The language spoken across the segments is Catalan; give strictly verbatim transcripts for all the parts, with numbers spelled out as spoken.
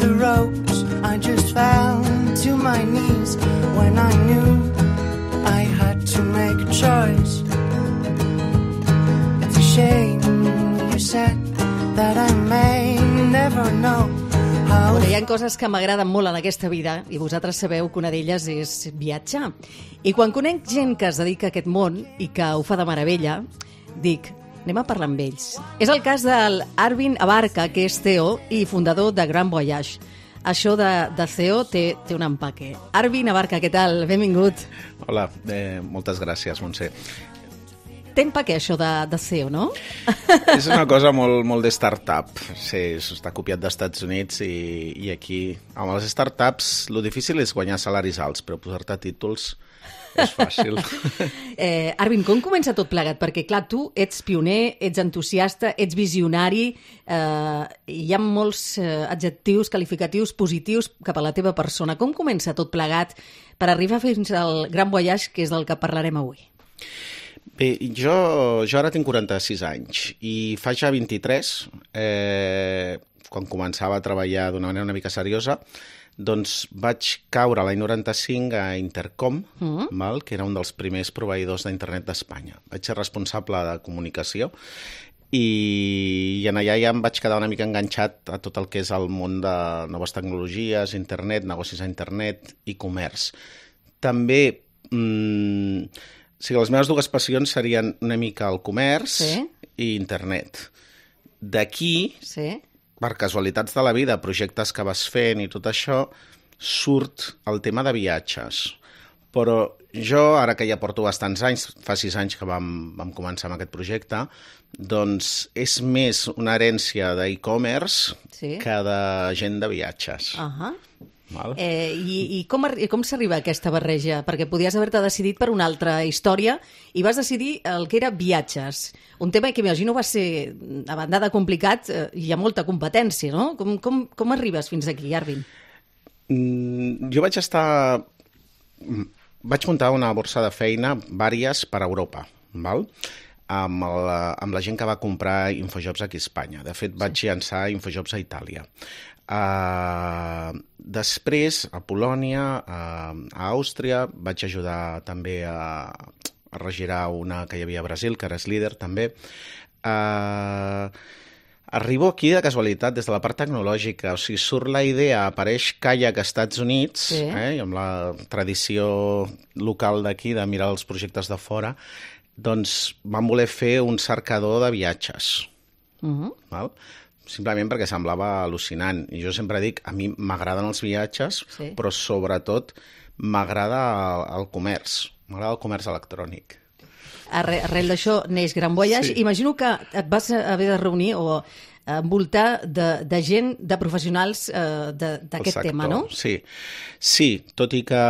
the ropes, I just fell to my knees when I knew I had to make a choice. It's a shame you said that I may never know. Bueno, hi ha coses que m'agraden molt en aquesta vida i vosaltres sabeu que una d'elles és viatjar. I quan conec gent que es dedica a aquest món i que ho fa de meravella, dic, anem a parlar amb ells. És el cas del Arvin Abarca, que és C E O i fundador de Grand Voyage. Això de, de C E O té, té un empaque. Arvin Abarca, què tal? Benvingut. Hola, eh, moltes gràcies, Montse. Té empaque això de, de C E O, no? És una cosa molt, molt de start-up. Sí, està copiat dels Estats Units i, i aquí, amb les startups, lo difícil és guanyar salaris alts, però posar-te títols és fàcil. eh, Arvin, com comença tot plegat? Perquè, clar, tu ets pioner, ets entusiasta, ets visionari, eh, hi ha molts eh, adjectius, qualificatius positius cap a la teva persona. Com comença tot plegat per arribar fins al Grand Voyage, que és del que parlarem avui? Bé, jo, jo ara tinc quaranta-sis anys i fa ja vint-i-tres, eh, quan començava a treballar d'una manera una mica seriosa, doncs vaig caure l'any noranta-cinc a Intercom, mm. val, que era un dels primers proveïdors d'internet d'Espanya. Vaig ser responsable de comunicació i, i en allà ja em vaig quedar una mica enganxat a tot el que és el món de noves tecnologies, internet, negocis a internet i comerç. També... Mmm, o sigui, les meves dues passions serien una mica el comerç sí. i internet. D'aquí, sí. per casualitats de la vida, projectes que vas fent i tot això, surt el tema de viatges. Però jo, ara que ja porto bastants anys, fa sis anys que vam, vam començar amb aquest projecte, doncs és més una herència d'e-commerce sí. que de gent de viatges. Ahà. Uh-huh. Eh, i, i com, com s'arriba a aquesta barreja? Perquè podies haver-te decidit per una altra història i vas decidir el que era viatges. Un tema que imagino va ser, a banda de complicat, eh, hi ha molta competència, no? Com, com, com arribes fins aquí, Arvin? Mm, jo vaig estar... Vaig muntar una borsa de feina, vàries, per Europa, val? Amb la, amb la gent que va comprar Infojobs aquí a Espanya. De fet, vaig sí. llançar Infojobs a Itàlia. Uh, després a Polònia, uh, a Àustria, vaig ajudar també a, a regirar una que hi havia a Brasil, que ara és líder també. Uh, arribo aquí de casualitat des de la part tecnològica, o sigui, surt la idea, apareix Kayak a Estats Units, sí. eh, amb la tradició local d'aquí de mirar els projectes de fora, doncs vam voler fer un cercador de viatges. Uh-huh. Val? Simplement perquè semblava al·lucinant. I jo sempre dic, a mi m'agraden els viatges, sí. però sobretot m'agrada el, el comerç. M'agrada el comerç electrònic. Arre, arrel d'això neix Grand Voyage. Sí. Imagino que et vas haver de reunir o envoltar de, de gent, de professionals eh, d'aquest tema, no? Sí. sí, tot i que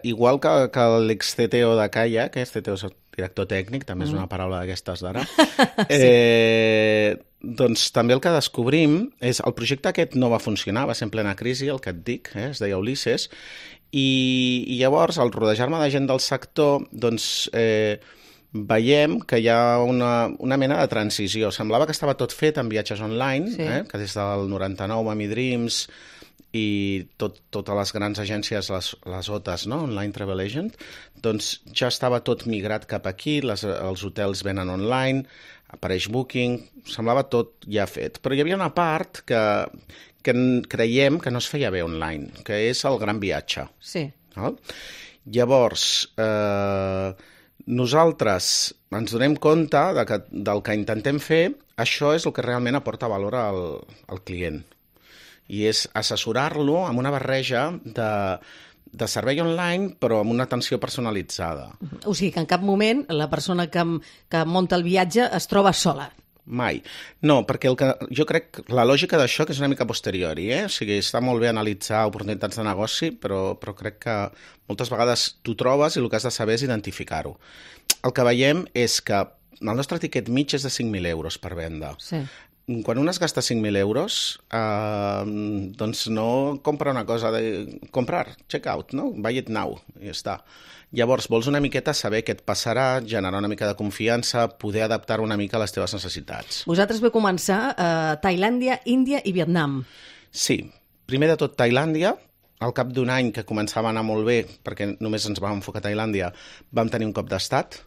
igual que, que l'ex-C T O de Kayak, que és C T O director tècnic, també és una paraula d'aquestes d'ara, sí. eh, doncs també el que descobrim és el projecte aquest no va funcionar, va ser en plena crisi, el que et dic, eh, es deia Ulisses, i, i llavors al rodejar-me de gent del sector, doncs eh, veiem que hi ha una, una mena de transició. Semblava que estava tot fet en viatges online, sí. eh, que des del noranta-nou, Mami Dreams i tot, totes les grans agències, les, les O T As, no? Online Travel Agent, doncs ja estava tot migrat cap aquí, les, els hotels venen online, apareix Booking, semblava tot ja fet. Però hi havia una part que, que creiem que no es feia bé online, que és el gran viatge. Sí. No? Llavors, eh, nosaltres ens donem compte de que, del que intentem fer, això és el que realment aporta valor al, al client. I és assessorar-lo amb una barreja de, de servei online, però amb una atenció personalitzada. O sigui que en cap moment la persona que, que munta el viatge es troba sola. Mai. No, perquè el que, jo crec la lògica d'això que és una mica posteriori, eh? O sigui, està molt bé analitzar oportunitats de negoci, però, però crec que moltes vegades t'ho trobes i el que has de saber és identificar-ho. El que veiem és que el nostre tiquet mig és de cinc mil euros per venda. Sí. Quan un es gasta cinc mil euros, eh, doncs no compra una cosa de comprar, check out, no? Buy it now, i ja està. Llavors, vols una miqueta saber què et passarà, generar una mica de confiança, poder adaptar una mica a les teves necessitats. Vosaltres vau començar a Tailàndia, Índia i Vietnam. Sí. primer de tot Tailàndia, al cap d'un any que començava a anar molt bé, perquè només ens vam enfocar a Tailàndia, vam tenir un cop d'estat,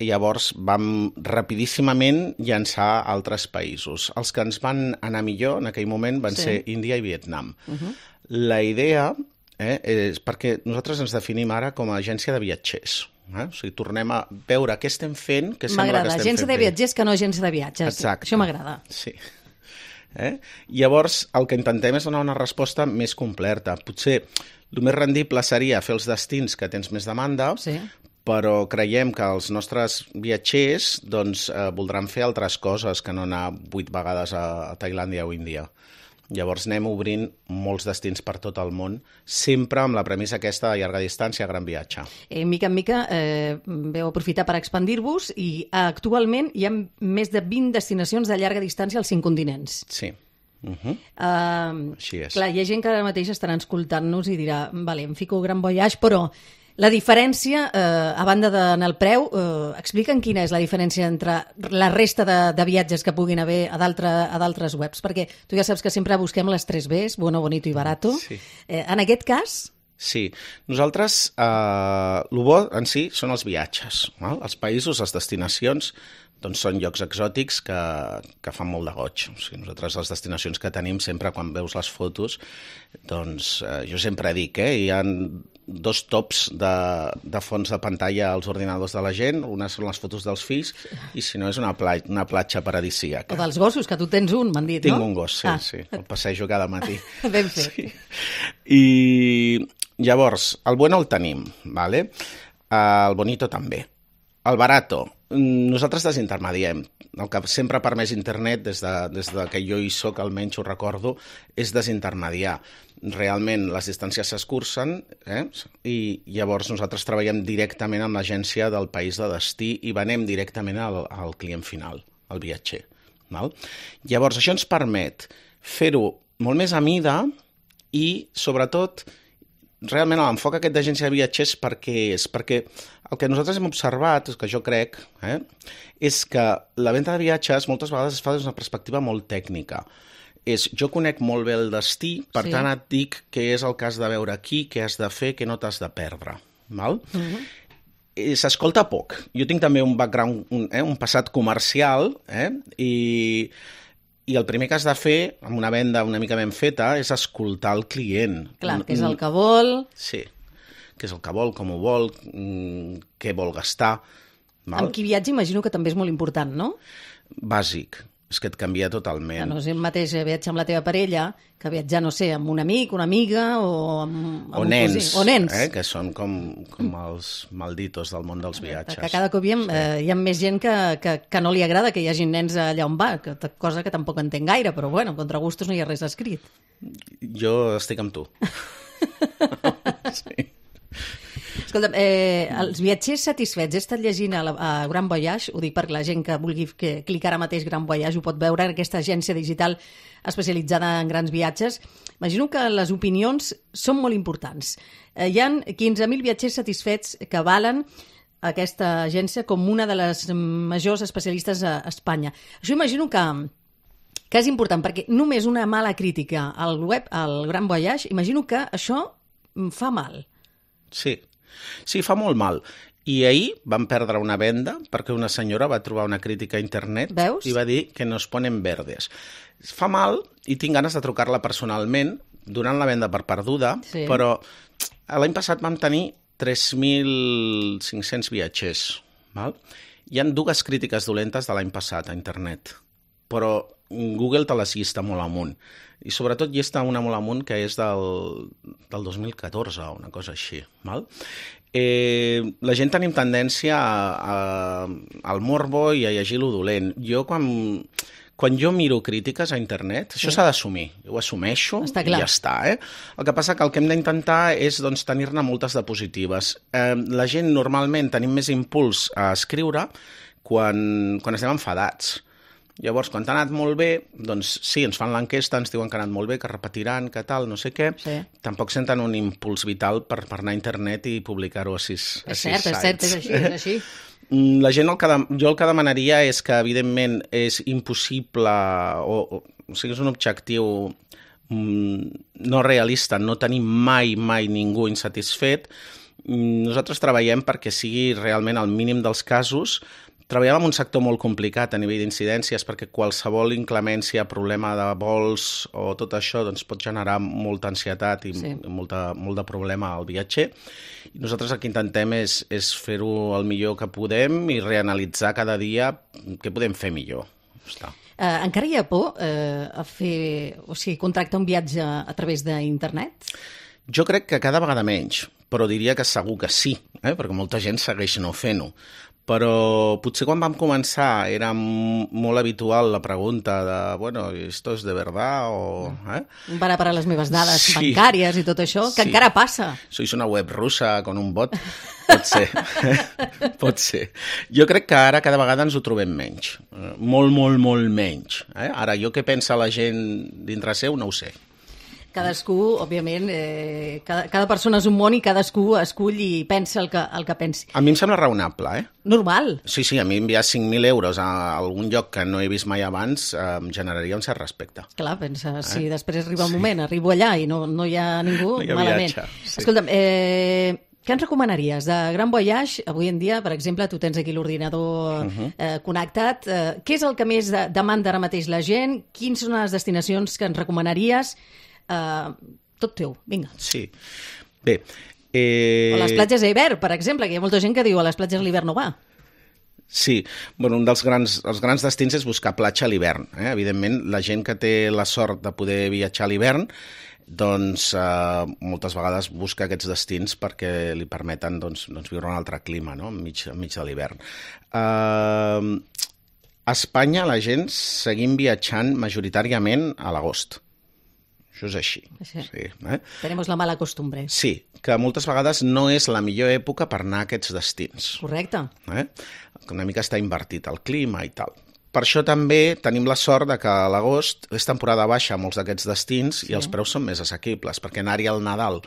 i llavors vam rapidíssimament llançar altres països. Els que ens van anar millor en aquell moment van sí. ser Índia i Vietnam. Uh-huh. La idea eh, és perquè nosaltres ens definim ara com a agència de viatgers. Eh? O sigui, tornem a veure què estem fent, què sembla que estem fent bé. M'agrada, agència de viatgers que no agència de viatges. Exacte. Això m'agrada. Sí. Eh? Llavors, el que intentem és donar una resposta més completa. Potser el més rendible seria fer els destins que tens més demanda, sí. però creiem que els nostres viatgers doncs, eh, voldran fer altres coses que no anar vuit vegades a, a Tailàndia o Índia. Llavors anem obrint molts destins per tot el món, sempre amb la premissa aquesta de llarga distància, gran viatge. Eh, mica en mica eh, veu aprofitar per expandir-vos i actualment hi ha més de vint destinacions de llarga distància als cinc continents. Sí. Uh-huh. Uh, Així és. Clar, hi ha gent que ara mateix estarà escoltant-nos i dirà, vale, em fico Gran Voyage, però la diferència, eh, a banda d'anar al preu, eh, explica'm quina és la diferència entre la resta de, de viatges que puguin haver a d'altres webs, perquè tu ja saps que sempre busquem les tres Bs, bueno, bonito i barato. Sí. Eh, en aquest cas... Sí, nosaltres, eh, el bo en si són els viatges, no? Els països, les destinacions, doncs són llocs exòtics que, que fan molt de goig. O sigui, nosaltres les destinacions que tenim sempre, quan veus les fotos, doncs eh, jo sempre dic, eh, hi ha dos tops de, de fons de pantalla als ordinadors de la gent, una són les fotos dels fills, i si no és una, pla una platja paradisíaca. O dels gossos, que tu tens un, m'han dit, Tinc no? Tinc un gos, sí, ah. sí, el passejo cada matí. Ben fet. Sí. I llavors, el bueno el tenim, ¿vale? El bonito també. El barato, nosaltres desintermediem. El que sempre ha permès internet, des de, des de que jo hi soc, almenys ho recordo, és desintermediar. Realment les distàncies s'escurcen, eh? I llavors nosaltres treballem directament amb l'agència del país de destí i venem directament al, al client final, al viatger. Val? Llavors això ens permet fer-ho molt més a mida i, sobretot, realment l'enfoc aquest d'agència de viatgers per què és? Perquè el que nosaltres hem observat, que jo crec, eh, és que la venda de viatges moltes vegades es fa des d'una perspectiva molt tècnica. És, jo conec molt bé el destí, per sí. tant et dic què és el que has de veure aquí, què has de fer, què no t'has de perdre. Val? Uh-huh. S'escolta poc. Jo tinc també un background, un, eh, un passat comercial, eh, i... I el primer que has de fer, amb una venda una mica ben feta, és escoltar el client. Clar, què és el que vol. Sí, què és el que vol, com ho vol, què vol gastar. Val? Amb qui viatja imagino que també és molt important, no? Bàsic. És que et canvia totalment. No és el mateix viatjar amb la teva parella que viatjar, no sé, amb un amic, una amiga o amb, amb o un nens, cosí. O nens, eh, que són com, com els malditos del món dels viatges. Que cada cop hi ha, sí. eh, hi ha més gent que, que, que no li agrada que hi hagi nens allà on va, que, cosa que tampoc entenc gaire, però bueno, contra gustos no hi ha res escrit. Jo estic amb tu. Sí. Escolta, eh, els viatgers satisfets, he estat llegint a, la, a Gran Voyage, ho dic perquè la gent que vulgui que clicar ara mateix Gran Voyage ho pot veure en aquesta agència digital especialitzada en grans viatges. Imagino que les opinions són molt importants. Eh, hi ha quinze mil viatgers satisfets que valen aquesta agència com una de les majors especialistes a Espanya. Això imagino que, que és important, perquè només una mala crítica al web, al Gran Voyage, imagino que això fa mal. Sí. Sí, fa molt mal. I ahir vam perdre una venda perquè una senyora va trobar una crítica a internet. Veus? I va dir que nos ponen verdes. Fa mal i tinc ganes de trucar-la personalment, donant la venda per perduda, sí. Però l'any passat vam tenir tres mil cinc-cents viatgers. Val? Hi ha dues crítiques dolentes de l'any passat a internet, però Google te les llista molt amunt. I sobretot llista una molt amunt que és del, del dos mil catorze o una cosa així. Val? Eh, la gent tenim tendència a, a, al morbo i a llegir lo dolent. Jo quan, quan jo miro crítiques a internet, sí. Això s'ha d'assumir. Jo ho assumeixo i ja està. Eh? El que passa que el que hem d'intentar és doncs, tenir-ne moltes de positives. Eh, la gent normalment tenim més impuls a escriure quan, quan estem enfadats. Llavors, quan t'ha anat molt bé, doncs sí, ens fan l'enquesta, ens diuen que ha anat molt bé, que repetiran, que tal, no sé què. Sí. Tampoc senten un impuls vital per, per anar a internet i publicar-ho a sis, a és sis cert, sites. És cert, és així, és així. La gent, el que, jo el que demanaria és que, evidentment, és impossible, o, o, o sigui, és un objectiu no realista, no tenim mai, mai ningú insatisfet. Nosaltres treballem perquè sigui realment el mínim dels casos. Treballem en un sector molt complicat a nivell d'incidències perquè qualsevol inclemència, problema de vols o tot això doncs, pot generar molta ansietat i sí. molta, molt de problema al viatger. I nosaltres el que intentem és, és fer-ho el millor que podem i reanalitzar cada dia què podem fer millor. Està. Uh, encara hi ha por uh, a fer, o sigui, contractar un viatge a través d'internet? Jo crec que cada vegada menys, però diria que segur que sí, eh? perquè molta gent segueix no fent-ho. Però potser quan vam començar era molt habitual la pregunta de, bueno, ¿esto es de verdad? O, eh? Van a parar les meves dades sí. bancàries i tot això, que sí. encara passa. Sois una web russa con un bot? Pot ser. Pot ser. Jo crec que ara cada vegada ens ho trobem menys. Molt, molt, molt menys. Eh? Ara, jo què pensa la gent dintre seu no ho sé. Cadascú, òbviament, eh, cada, cada persona és un món i cadascú escull i pensa el que, el que pensi. A mi em sembla raonable, eh? Normal. Sí, sí, a mi enviar cinc mil euros a algun lloc que no he vist mai abans eh, em generaria un cert respecte. Clar, pensa, eh? si després arriba el moment, sí. arribo allà i no, no hi ha ningú, no hi ha malament. Viatge, sí. Escolta'm, eh, què ens recomanaries de Grand Voyage? Avui en dia, per exemple, tu tens aquí l'ordinador uh-huh. eh, connectat. Eh, què és el que més de, demanda ara mateix la gent? Quines són les destinacions que ens recomanaries? Uh, tot teu, vinga. Sí, bé. Eh... O les platges a hivern, per exemple, que hi ha molta gent que diu a les platges a l'hivern no va. Sí, bueno, un dels grans, els grans destins és buscar platja a l'hivern. Eh? Evidentment, la gent que té la sort de poder viatjar a l'hivern, doncs eh, moltes vegades busca aquests destins perquè li permeten doncs, doncs, viure un altre clima, no? enmig, enmig de l'hivern. Eh, a Espanya la gent seguim viatjant majoritàriament a l'agost. Això és així. Sí. Sí, eh? Tenemos la mala costumbre. Sí, que moltes vegades no és la millor època per anar a aquests destins. Correcte. Eh? Una mica està invertit el clima i tal. Per això també tenim la sort de que a l'agost és temporada baixa a molts d'aquests destins sí. i els preus són més assequibles, perquè anar-hi al Nadal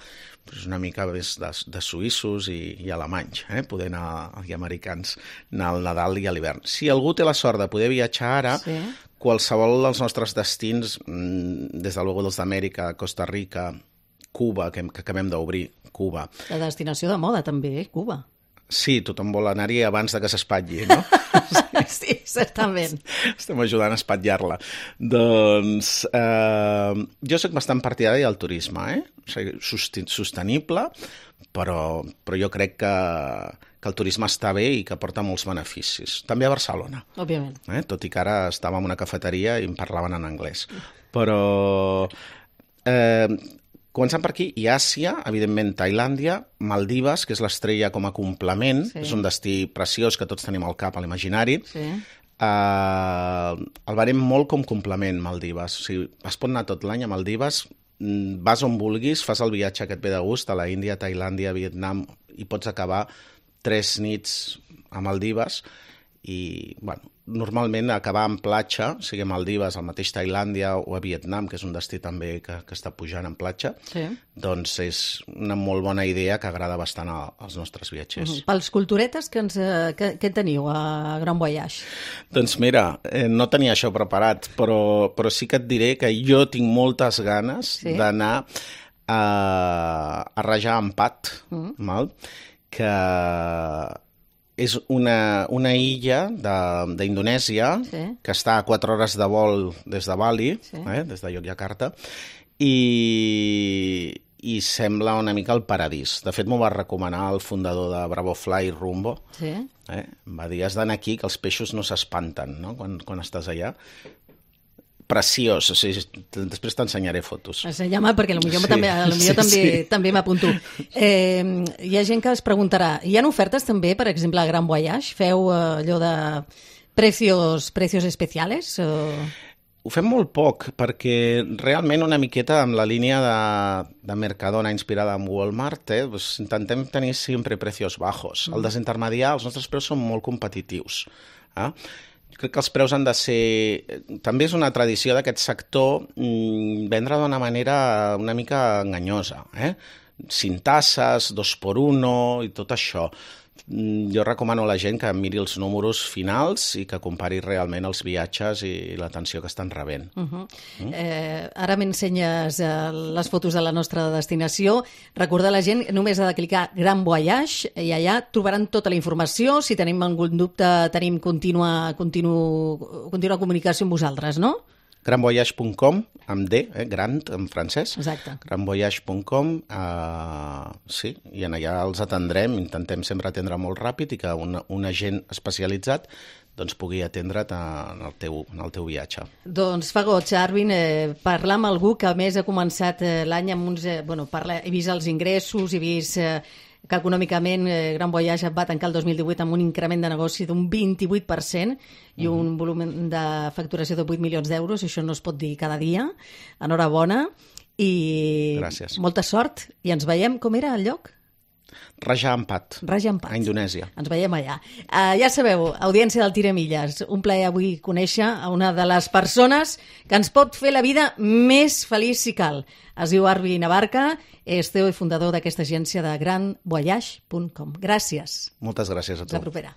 és una mica més de, de suïssos i, i alemanys, eh? poder anar, i americans, anar al Nadal i a l'hivern. Si algú té la sort de poder viatjar ara, sí. qualsevol dels nostres destins, des de luego dels d'Amèrica, Costa Rica, Cuba, que, que acabem d'obrir, Cuba. La destinació de moda també, eh? Cuba. Sí, tothom vol anar-hi abans de que s'espatlli, no? Sí, certament. Estem ajudant a espatllar-la. Doncs eh, jo soc bastant partidari del turisme, eh? O sigui, sostenible, però, però jo crec que, que el turisme està bé i que porta molts beneficis. També a Barcelona. Òbviament. Eh? Tot i que ara estàvem en una cafeteria i em parlaven en anglès. Però... Eh, Començant per aquí, i Àsia, evidentment Tailàndia, Maldives, que és l'estrella com a complement, sí. és un destí preciós que tots tenim al cap a l'imaginari. Sí. Uh, el veurem molt com complement, Maldives. O sigui, es pot anar tot l'any a Maldives, vas on vulguis, fas el viatge que et ve de gust, a la Índia, Tailàndia, Vietnam, i pots acabar tres nits a Maldives, i, bueno, normalment acabar en platja, sigui a Maldives, al mateix Tailàndia o a Vietnam, que és un destí també que, que està pujant en platja, sí. doncs és una molt bona idea que agrada bastant a, als nostres viatgers. Uh-huh. Pels culturetes, que, ens, que, que teniu a Grand Voyage? Doncs mira, eh, no tenia això preparat, però, però sí que et diré que jo tinc moltes ganes sí? d'anar a, a rajar empat, uh-huh. mal, que... és una, una illa d'Indonèsia sí. que està a quatre hores de vol des de Bali, sí. eh, des de Yogyakarta, i, i sembla una mica el paradís. De fet, m'ho va recomanar el fundador de Bravo Fly, Rumbo. Sí. Eh? Em va dir, has d'anar aquí, que els peixos no s'espanten, no? quan, quan estàs allà. Preciós, o sigui, després t'ensenyaré fotos. Ensenya-me, perquè potser sí, també, sí, també, sí. també m'apunto. Eh, hi ha gent que es preguntarà, hi ha ofertes també, per exemple, a Grand Voyage? Feu eh, allò de precios, precios especiales? O... Ho fem molt poc, perquè realment una miqueta amb la línia de, de Mercadona inspirada en Walmart, eh, doncs intentem tenir sempre precios bajos. Mm. El desintermediar, els nostres preus són molt competitius. Eh? Crec que els preus han de ser... També és una tradició d'aquest sector mmm, vendre d'una manera una mica enganyosa. Eh? cinc tasses, dos por uno i tot això. Jo recomano a la gent que miri els números finals i que compari realment els viatges i l'atenció que estan rebent. Uh -huh. mm? eh, ara m'ensenyes eh, les fotos de la nostra destinació. Recordar a la gent, només ha de clicar Gran Voyage i allà trobaran tota la informació. Si tenim algun dubte, tenim contínua, continu, contínua comunicació amb vosaltres, no? gran voyage punt com, amb D, eh, grand en francès. Exacte. gran voyage punt com, uh, sí, i en allà els atendrem, intentem sempre atendre molt ràpid i que un, un agent especialitzat doncs pugui atendre't en el teu, en el teu viatge. Doncs fa goig, Arvin, eh, parlar amb algú que a més ha començat eh, l'any amb uns... Eh, bueno, parla, he vist els ingressos, he vist... Eh, que econòmicament eh, Gran Voyage va tancar el dos mil divuit amb un increment de negoci d'un vint-i-vuit per cent i un uh-huh. volum de facturació de vuit milions d'euros. Això no es pot dir cada dia. Enhorabona i Gràcies. Molta sort. I ens veiem, com era el lloc? Raja Ampat, Raja Ampat. a Indonèsia. Ens veiem allà. Uh, ja sabeu, audiència del Tiremilles, un plaer avui conèixer a una de les persones que ens pot fer la vida més feliç si cal. Es diu Arvin Abarca, és C E O i fundador d'aquesta agència de gran voyage punt com. Gràcies. Moltes gràcies a tu. Fins la propera.